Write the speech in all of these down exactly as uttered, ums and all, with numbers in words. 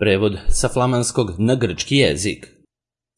Prevod sa flamanskog na grčki jezik.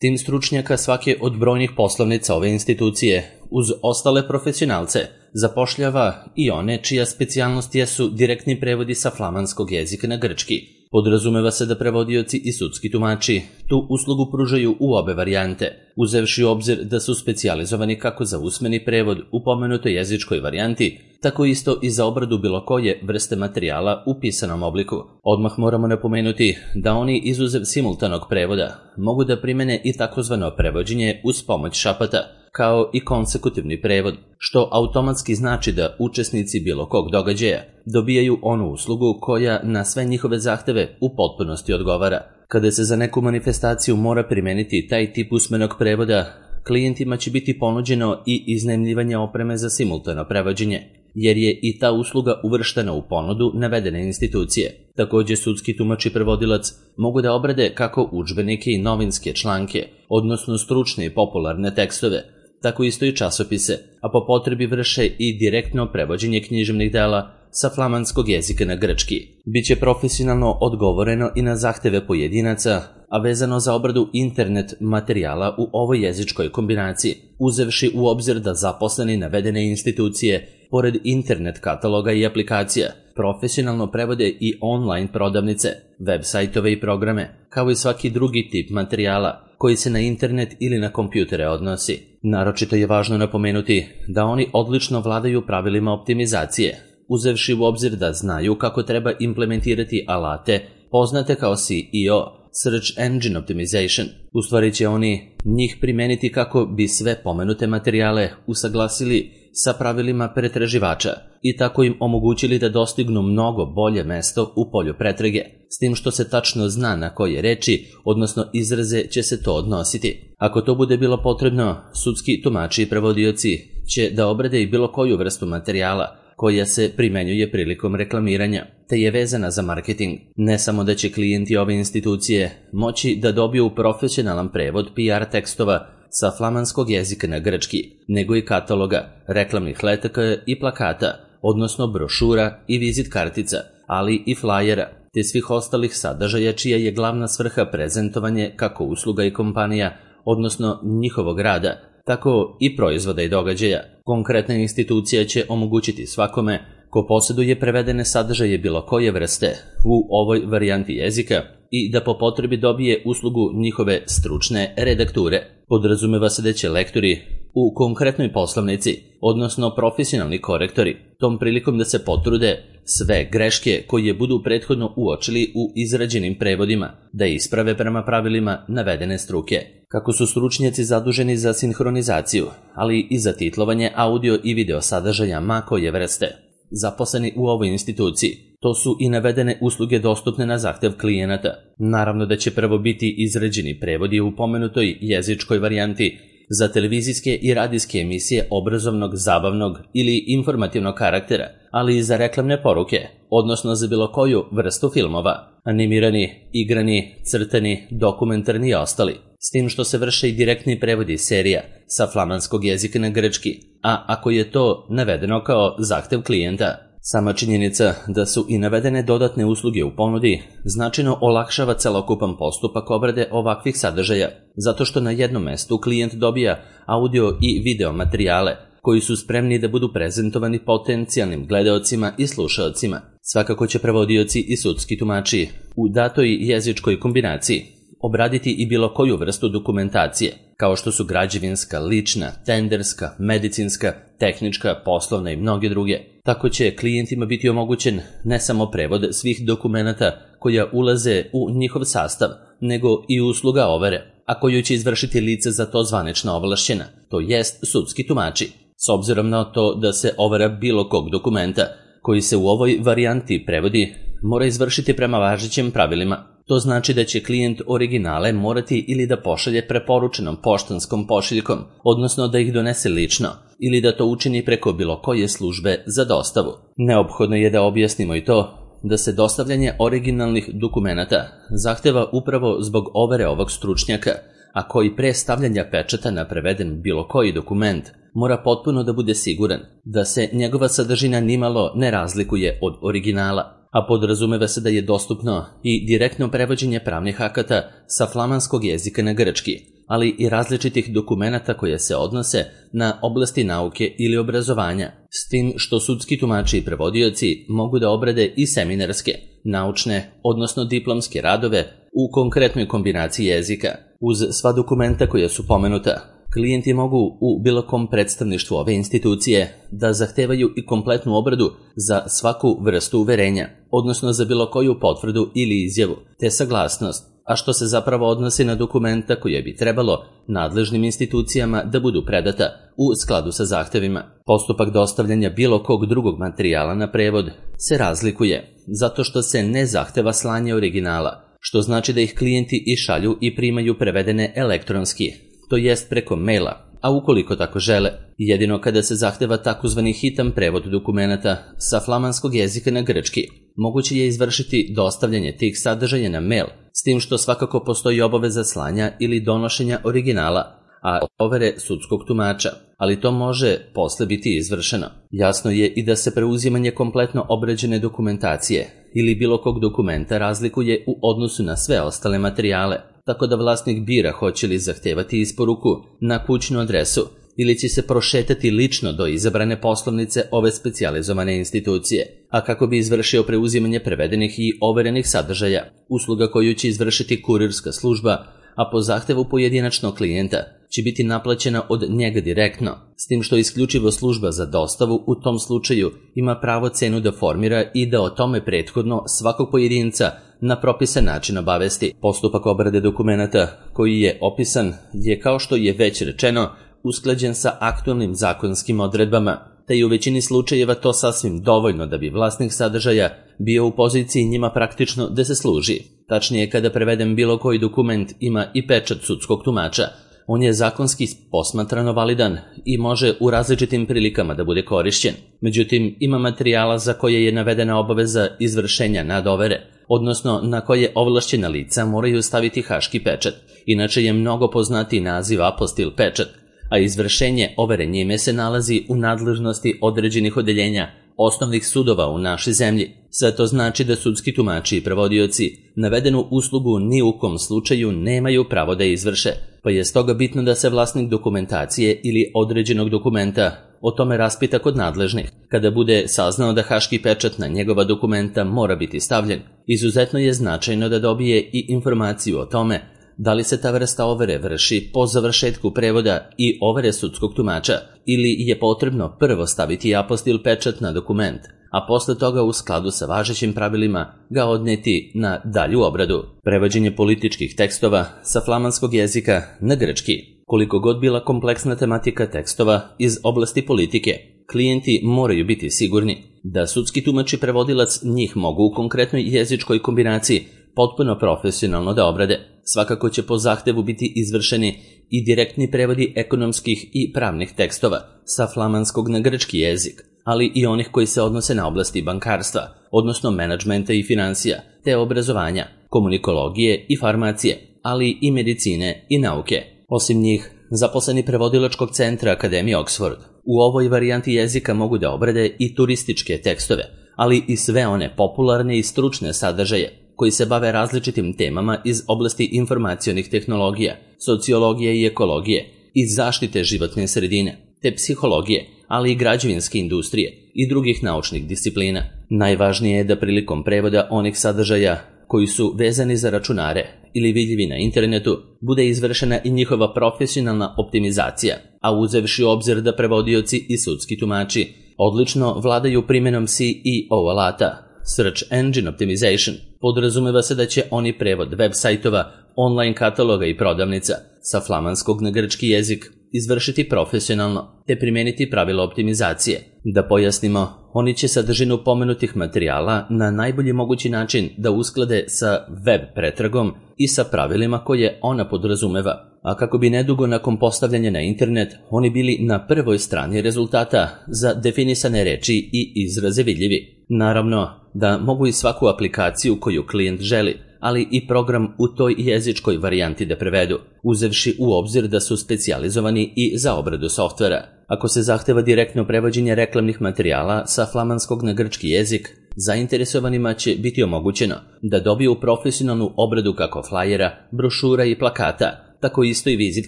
Tim stručnjaka svake od brojnih poslovnica ove institucije, uz ostale profesionalce, zapošljava i one čija specijalnost jesu direktni prevodi sa flamanskog jezika na grčki. Podrazumeva se da prevodioci i sudski tumači tu uslugu pružaju u obe varijante, uzevši u obzir da su specijalizovani kako za usmeni prevod u pomenutoj jezičkoj varijanti, tako isto i za obradu bilo koje vrste materijala u pisanom obliku. Odmah moramo napomenuti da oni, izuzev simultanog prevoda, mogu da primene i takozvano prevođenje uz pomoć šapata, kao i konsekutivni prevod, što automatski znači da učesnici bilo kog događaja dobijaju onu uslugu koja na sve njihove zahteve u potpunosti odgovara. Kada se za neku manifestaciju mora primeniti taj tip usmenog prevoda, klijentima će biti ponuđeno i iznajmljivanje opreme za simultano prevođenje, jer je i ta usluga uvrštena u ponudu navedene institucije. Takođe, sudski tumač i prevodilac mogu da obrade kako udžbenike i novinske članke, odnosno stručne i popularne tekstove, tako isto i časopise, a po potrebi vrše i direktno prevođenje književnih dela sa flamanskog jezika na grčki. Biće profesionalno odgovoreno i na zahteve pojedinaca, a vezano za obradu internet materijala u ovoj jezičkoj kombinaciji, uzevši u obzir da zaposleni navedene institucije, pored internet kataloga i aplikacija, profesionalno prevode i online prodavnice, web sajtove i programe, kao i svaki drugi tip materijala koji se na internet ili na kompjutere odnosi. Naročito je važno napomenuti da oni odlično vladaju pravilima optimizacije, uzevši u obzir da znaju kako treba implementirati alate poznate kao S E O, Search Engine Optimization. U stvari će oni njih primeniti kako bi sve pomenute materijale usaglasili sa pravilima pretraživača i tako im omogućili da dostignu mnogo bolje mesto u polju pretrage, s tim što se tačno zna na koje reči, odnosno izraze će se to odnositi. Ako to bude bilo potrebno, sudski tumači i prevodioci će da obrade i bilo koju vrstu materijala koja se primenjuje prilikom reklamiranja, te je vezana za marketing. Ne samo da će klijenti ove institucije moći da dobiju profesionalan prevod P R tekstova sa flamanskog jezika na grčki, nego i kataloga, reklamnih letaka i plakata, odnosno brošura i vizit kartica, ali i flajera, te svih ostalih sadržaja čija je glavna svrha prezentovanje kako usluga i kompanija, odnosno njihovog rada, tako i proizvoda i događaja. Konkretna institucija će omogućiti svakome ko posjeduje prevedene sadržaje bilo koje vrste u ovoj varijanti jezika i da po potrebi dobije uslugu njihove stručne redakture. Podrazumeva se da će lektori u konkretnoj poslovnici, odnosno profesionalni korektori, tom prilikom da se potrude sve greške koje budu prethodno uočili u izrađenim prevodima, da isprave prema pravilima navedene struke. Kako su stručnjaci zaduženi za sinhronizaciju, ali i za titlovanje audio i video sadržaja ma koje vrste, zaposleni u ovoj instituciji, to su i navedene usluge dostupne na zahtev klijenata. Naravno da će prvo biti izrađeni prevodi u pomenutoj jezičkoj varijanti za televizijske i radijske emisije obrazovnog, zabavnog ili informativnog karaktera, ali i za reklamne poruke, odnosno za bilo koju vrstu filmova, animirani, igrani, crtani, dokumentarni i ostali, s tim što se vrše i direktni prevodi serija sa flamanskog jezika na grčki, a ako je to navedeno kao zahtev klijenta. Sama činjenica da su i navedene dodatne usluge u ponudi značajno olakšava celokupan postupak obrade ovakvih sadržaja, zato što na jednom mestu klijent dobija audio i video materijale koji su spremni da budu prezentovani potencijalnim gledaocima i slušaocima. Svakako će prevodioci i sudski tumači u datoj jezičkoj kombinaciji obraditi i bilo koju vrstu dokumentacije, kao što su građevinska, lična, tenderska, medicinska, tehnička, poslovna i mnoge druge. Tako će klijentima biti omogućen ne samo prevod svih dokumenata koja ulaze u njihov sastav, nego i usluga overe, a koju će izvršiti lice za to zvanično ovlašćena, to jest sudski tumači, s obzirom na to da se overa bilo kog dokumenta koji se u ovoj varijanti prevodi mora izvršiti prema važećim pravilima. To znači da će klijent originale morati ili da pošalje preporučenom poštanskom pošiljkom, odnosno da ih donese lično, ili da to učini preko bilo koje službe za dostavu. Neophodno je da objasnimo i to da se dostavljanje originalnih dokumenata zahteva upravo zbog overe ovog stručnjaka, a koji pre stavljanja pečata na preveden bilo koji dokument mora potpuno da bude siguran da se njegova sadržina nimalo ne razlikuje od originala. a podrazumeva se da je dostupno i direktno prevođenje pravnih akata sa flamanskog jezika na grčki, ali i različitih dokumenata koje se odnose na oblasti nauke ili obrazovanja, s tim što sudski tumači i prevodioci mogu da obrade i seminarske, naučne, odnosno diplomske radove u konkretnoj kombinaciji jezika. Uz sva dokumenta koja su pomenuta, klijenti mogu u bilo kom predstavništvu ove institucije da zahtevaju i kompletnu obradu za svaku vrstu uverenja, odnosno za bilo koju potvrdu ili izjavu, te saglasnost, a što se zapravo odnosi na dokumenta koje bi trebalo nadležnim institucijama da budu predata u skladu sa zahtevima. Postupak dostavljanja bilo kog drugog materijala na prevod se razlikuje, zato što se ne zahteva slanje originala, što znači da ih klijenti i šalju i primaju prevedene elektronski, to jest preko maila, a ukoliko tako žele, jedino kada se zahteva takozvani hitan prevod dokumenata sa flamanskog jezika na grčki, moguće je izvršiti dostavljanje tih sadržaja na mail, s tim što svakako postoji obaveza slanja ili donošenja originala, a overe sudskog tumača, ali to može posle biti izvršeno. Jasno je i da se preuzimanje kompletno obrađene dokumentacije ili bilo kog dokumenta razlikuje u odnosu na sve ostale materijale, tako da vlasnik bira hoće li zahtevati isporuku na kućnu adresu ili će se prošetati lično do izabrane poslovnice ove specijalizovane institucije, a kako bi izvršio preuzimanje prevedenih i overenih sadržaja, usluga koju će izvršiti kurirska služba, a po zahtevu pojedinačnog klijenta će biti naplaćena od njega direktno, s tim što isključivo služba za dostavu u tom slučaju ima pravo cenu da formira i da o tome prethodno svakog pojedinca na propisan način obavesti. Postupak obrade dokumenata koji je opisan je, kao što je već rečeno, usklađen sa aktualnim zakonskim odredbama, te je u većini slučajeva to sasvim dovoljno da bi vlasnik sadržaja bio u poziciji njima praktično da se služi. Tačnije, kada preveden bilo koji dokument ima i pečat sudskog tumača, on je zakonski posmatrano validan i može u različitim prilikama da bude korišćen. Međutim, ima materijala za koje je navedena obaveza izvršenja nadovere, odnosno na koje ovlašćena lica moraju staviti haški pečat, inače je mnogo poznatiji naziv apostil pečat, a izvršenje overe njime se nalazi u nadležnosti određenih odeljenja osnovnih sudova u našoj zemlji. Sve to znači da sudski tumači i prevodioci navedenu uslugu ni u kom slučaju nemaju pravo da izvrše, pa je stoga bitno da se vlasnik dokumentacije ili određenog dokumenta o tome raspita kod nadležnih, kada bude saznao da haški pečat na njegova dokumenta mora biti stavljen. Izuzetno je značajno da dobije i informaciju o tome da li se ta vrsta overe vrši po završetku prevoda i overe sudskog tumača ili je potrebno prvo staviti apostil pečat na dokument, a posle toga u skladu sa važećim pravilima ga odneti na dalju obradu. Prevođenje političkih tekstova sa flamanskog jezika na grčki. Koliko god bila kompleksna tematika tekstova iz oblasti politike, klijenti moraju biti sigurni da sudski tumač i prevodilac njih mogu u konkretnoj jezičkoj kombinaciji potpuno profesionalno da obrade. Svakako će po zahtevu biti izvršeni i direktni prevodi ekonomskih i pravnih tekstova sa flamanskog na grčki jezik, ali i onih koji se odnose na oblasti bankarstva, odnosno menadžmenta i financija, te obrazovanja, komunikologije i farmacije, ali i medicine i nauke. Osim njih, zaposleni prevodilačkog centra Akademije Oxford u ovoj varijanti jezika mogu da obrade i turističke tekstove, ali i sve one popularne i stručne sadržaje koji se bave različitim temama iz oblasti informacionih tehnologija, sociologije i ekologije, iz zaštite životne sredine, te psihologije, ali i građevinske industrije i drugih naučnih disciplina. Najvažnije je da prilikom prevoda onih sadržaja koji su vezani za računare ili vidljivi na internetu bude izvršena i njihova profesionalna optimizacija, a uzevši u obzir da prevodioci i sudski tumači odlično vladaju primjenom C E O alata, Search Engine Optimization, podrazumeva se da će oni prevod web sajtova, online kataloga i prodavnica sa flamanskog na grčki jezik izvršiti profesionalno te primeniti pravila optimizacije. Da pojasnimo, oni će sadržinu pomenutih materijala na najbolji mogući način da usklade sa web pretragom i sa pravilima koje ona podrazumeva, a kako bi nedugo nakon postavljanja na internet oni bili na prvoj strani rezultata za definisane reči i izraze vidljivi. Naravno da mogu i svaku aplikaciju koju klijent želi, ali i program u toj jezičkoj varijanti da prevedu, uzevši u obzir da su specijalizovani i za obradu softvera. Ako se zahteva direktno prevođenje reklamnih materijala sa flamanskog na grčki jezik, zainteresovanima će biti omogućeno da dobiju profesionalnu obradu kako flajera, brošura i plakata, tako isto i vizit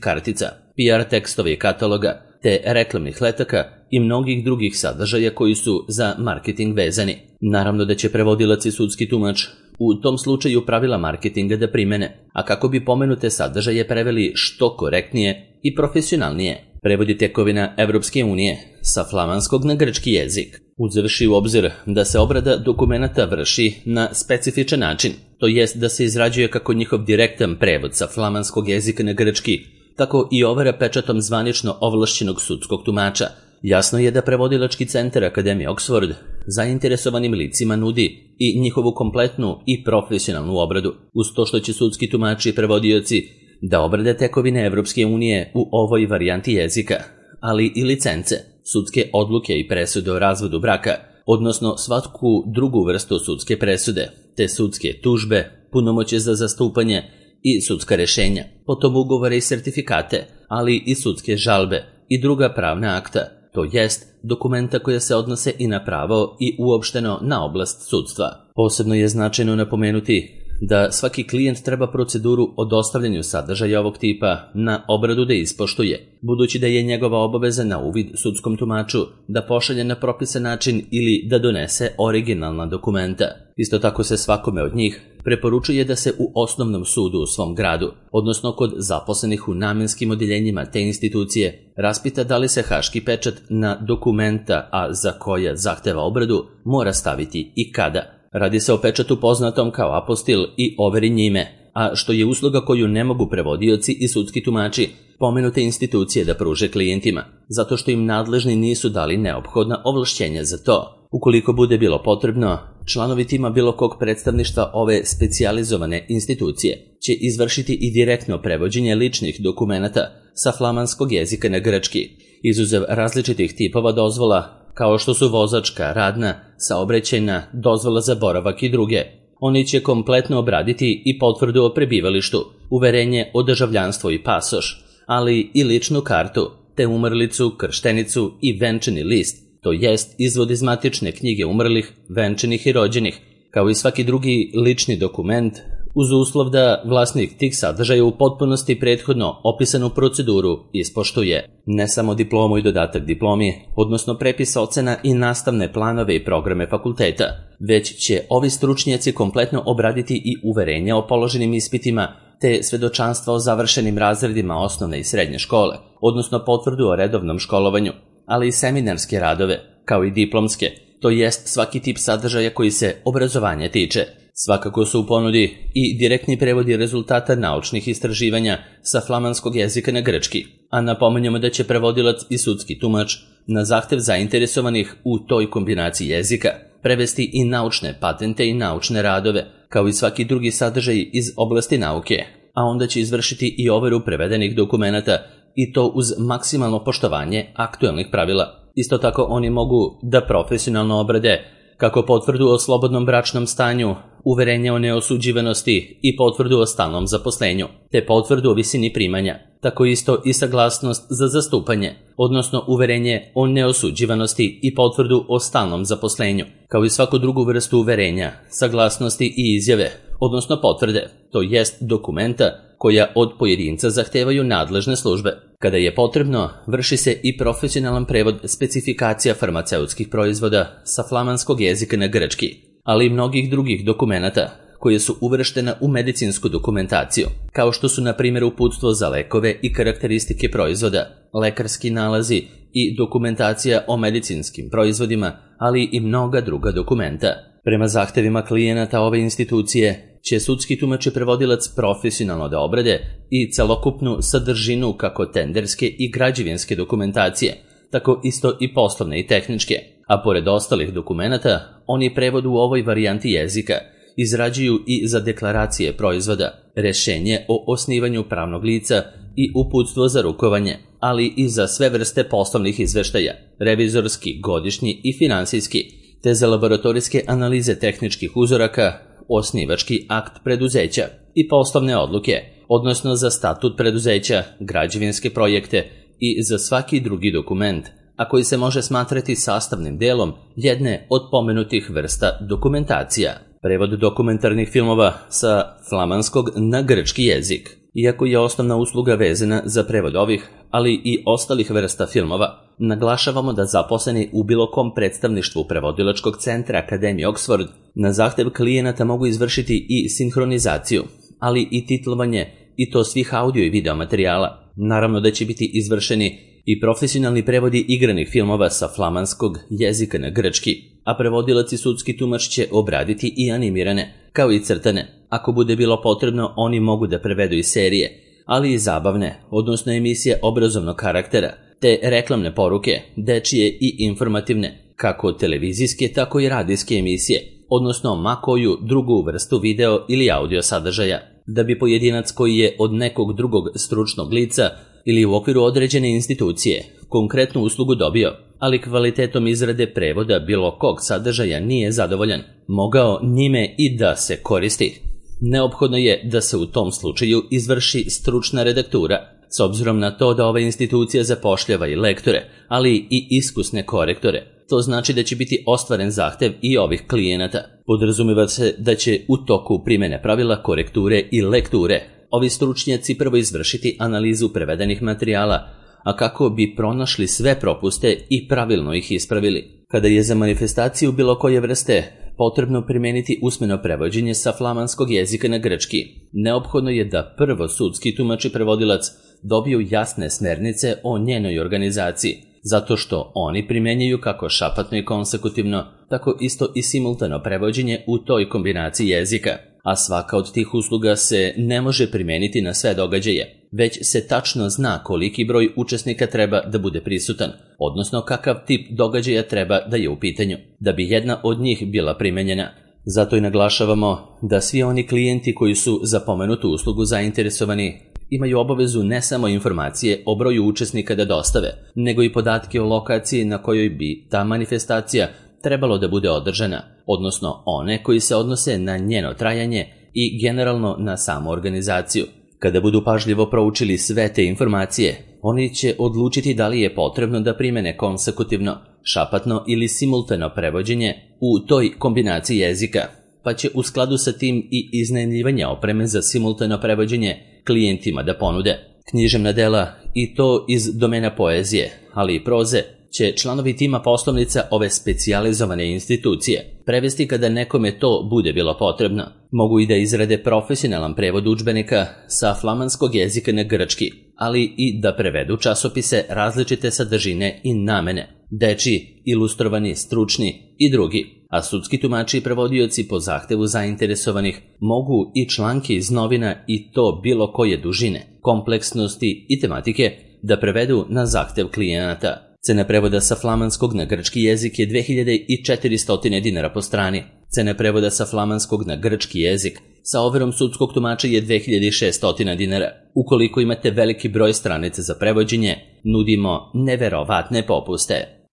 kartica, P R tekstove i kataloga, te reklamnih letaka i mnogih drugih sadržaja koji su za marketing vezani. Naravno da će prevodilac i sudski tumač u tom slučaju pravila marketinga da primene, a kako bi pomenute sadržaje preveli što korektnije i profesionalnije. Prevodi tekovina Evropske unije sa flamanskog na grčki jezik, uzevši u obzir da se obrada dokumenata vrši na specifičan način, to jest da se izrađuje kako njihov direktan prevod sa flamanskog jezika na grčki, tako i overa pečatom zvanično ovlašćenog sudskog tumača. Jasno je da prevodilački centar Akademije Oxford zainteresovanim licima nudi i njihovu kompletnu i profesionalnu obradu, uz to što će sudski tumači i prevodioci da obrade tekovine Evropske unije u ovoj varijanti jezika, ali i licence, sudske odluke i presude o razvodu braka, odnosno svaku drugu vrstu sudske presude, te sudske tužbe, punomoćje za zastupanje i sudska rešenja, potom ugovore i sertifikate, ali i sudske žalbe i druga pravna akta, to jest dokumenta koja se odnose i na pravo i uopšteno na oblast sudstva. Posebno je značajno napomenuti da svaki klijent treba proceduru o dostavljanju sadržaja ovog tipa na obradu da ispoštuje, budući da je njegova obaveza na uvid sudskom tumaču da pošalje na propisan način ili da donese originalna dokumenta. Isto tako se svakome od njih preporučuje da se u osnovnom sudu u svom gradu, odnosno kod zaposlenih u namenskim odjeljenjima te institucije, raspita da li se haški pečat na dokumenta, a za koja zahteva obradu, mora staviti i kada. Radi se o pečatu poznatom kao apostil i overi njime, a što je usluga koju ne mogu prevodioci i sudski tumači pomenute institucije da pruže klijentima, zato što im nadležni nisu dali neophodna ovlašćenja za to. Ukoliko bude bilo potrebno, članovi tima bilo kog predstavništva ove specijalizovane institucije će izvršiti i direktno prevođenje ličnih dokumenata sa flamanskog jezika na grčki, izuzev različitih tipova dozvola, kao što su vozačka, radna, saobraćajna, dozvola za boravak i druge. Oni će kompletno obraditi i potvrdu o prebivalištu, uverenje o državljanstvu i pasoš, ali i ličnu kartu, te umrlicu, krštenicu i venčani list, to jest izvod iz matične knjige umrlih, venčanih i rođenih, kao i svaki drugi lični dokument, uz uslov da vlasnik tih sadržaja u potpunosti prethodno opisanu proceduru ispoštuje. Ne samo diplomu i dodatak diplomi, odnosno prepis ocena i nastavne planove i programe fakulteta, već će ovi stručnjaci kompletno obraditi i uverenja o položenim ispitima, te svedočanstva o završenim razredima osnovne i srednje škole, odnosno potvrdu o redovnom školovanju, ali i seminarske radove, kao i diplomske, to jest svaki tip sadržaja koji se obrazovanja tiče. Svakako su u ponudi i direktni prevodi rezultata naučnih istraživanja sa flamanskog jezika na grčki, a napominjamo da će prevodilac i sudski tumač na zahtev zainteresovanih u toj kombinaciji jezika prevesti i naučne patente i naučne radove, kao i svaki drugi sadržaj iz oblasti nauke, a onda će izvršiti i overu prevedenih dokumenata i to uz maksimalno poštovanje aktuelnih pravila. Isto tako oni mogu da profesionalno obrade kako potvrdu o slobodnom bračnom stanju, uverenje o neosuđivanosti i potvrdu o stalnom zaposlenju, te potvrdu o visini primanja, tako isto i saglasnost za zastupanje, odnosno uverenje o neosuđivanosti i potvrdu o stalnom zaposlenju, kao i svaku drugu vrstu uverenja, saglasnosti i izjave, odnosno potvrde, to jest dokumenta koja od pojedinca zahtevaju nadležne službe. Kada je potrebno, vrši se i profesionalan prevod specifikacija farmaceutskih proizvoda sa flamanskog jezika na grčki, ali i mnogih drugih dokumenata koje su uvrštena u medicinsku dokumentaciju, kao što su na primjer uputstvo za lekove i karakteristike proizvoda, lekarski nalazi i dokumentacija o medicinskim proizvodima, ali i mnoga druga dokumenta. Prema zahtevima klijenata ove institucije će sudski tumač i prevodilac profesionalno da obrade i celokupnu sadržinu kako tenderske i građevinske dokumentacije, tako isto i poslovne i tehničke, a pored ostalih dokumenata, oni prevod u ovoj varijanti jezika izrađuju i za deklaracije proizvoda, rešenje o osnivanju pravnog lica i uputstvo za rukovanje, ali i za sve vrste poslovnih izveštaja, revizorski, godišnji i finansijski, te za laboratorijske analize tehničkih uzoraka, osnivački akt preduzeća i poslovne odluke, odnosno za statut preduzeća, građevinske projekte i za svaki drugi dokument, a koji se može smatrati sastavnim delom jedne od pomenutih vrsta dokumentacija. Prevod dokumentarnih filmova sa flamanskog na grčki jezik. Iako je osnovna usluga vezana za prevod ovih, ali i ostalih vrsta filmova, naglašavamo da zaposleni u bilo kom predstavništvu prevodilačkog centra Akademije Oxford na zahtev klijenata mogu izvršiti i sinhronizaciju, ali i titlovanje, i to svih audio i video materijala. Naravno da će biti izvršeni i profesionalni prevodi igranih filmova sa flamanskog jezika na grčki, a prevodilac i sudski tumač će obraditi i animirane, kao i crtane. Ako bude bilo potrebno, oni mogu da prevedu i serije, ali i zabavne, odnosno emisije obrazovnog karaktera, te reklamne poruke, dečije i informativne, kako televizijske, tako i radijske emisije, odnosno ma koju drugu vrstu video ili audio sadržaja, da bi pojedinac koji je od nekog drugog stručnog lica ili u okviru određene institucije konkretnu uslugu dobio, ali kvalitetom izrade prevoda bilo kog sadržaja nije zadovoljan, mogao njime i da se koristi. Neophodno je da se u tom slučaju izvrši stručna redaktura, s obzirom na to da ova institucija zapošljava i lektore, ali i iskusne korektore. To znači da će biti ostvaren zahtev i ovih klijenata. Podrazumeva se da će u toku primene pravila korekture i lekture ovi stručnjaci prvo izvršiti analizu prevedenih materijala, a kako bi pronašli sve propuste i pravilno ih ispravili. Kada je za manifestaciju bilo koje vrste potrebno primeniti usmeno prevođenje sa flamanskog jezika na grčki, neophodno je da prvo sudski tumač i prevodilac dobiju jasne smernice o njenoj organizaciji, zato što oni primenjuju kako šapatno i konsekutivno, tako isto i simultano prevođenje u toj kombinaciji jezika, a svaka od tih usluga se ne može primeniti na sve događaje, već se tačno zna koliki broj učesnika treba da bude prisutan, odnosno kakav tip događaja treba da je u pitanju, da bi jedna od njih bila primenjena. Zato i naglašavamo da svi oni klijenti koji su za pomenutu uslugu zainteresovani imaju obavezu ne samo informacije o broju učesnika da dostave, nego i podatke o lokaciji na kojoj bi ta manifestacija trebalo da bude održana, odnosno one koji se odnose na njeno trajanje i generalno na samu organizaciju. Kada budu pažljivo proučili sve te informacije, oni će odlučiti da li je potrebno da primene konsekutivno, šapatno ili simultano prevođenje u toj kombinaciji jezika, pa će u skladu sa tim i iznajmljivanje opreme za simultano prevođenje klijentima da ponude. Književna dela, i to iz domena poezije, ali i proze, će članovi tima poslovnica ove specijalizovane institucije prevesti kada nekome to bude bilo potrebno. Mogu i da izrade profesionalan prevod udžbenika sa flamanskog jezika na grčki, ali i da prevedu časopise različite sadržine i namene, dečiji, ilustrovani, stručni i drugi, a sudski tumači i prevodioci po zahtevu zainteresovanih mogu i članke iz novina i to bilo koje dužine, kompleksnosti i tematike da prevedu na zahtev klijenata. Cena prevoda sa flamanskog na grčki jezik je dve hiljade četiristo dinara po strani. Cena prevoda sa flamanskog na grčki jezik sa overom sudskog tumača je dve hiljade šesto dinara. Ukoliko imate veliki broj stranica za prevođenje, nudimo neverovatne popuste.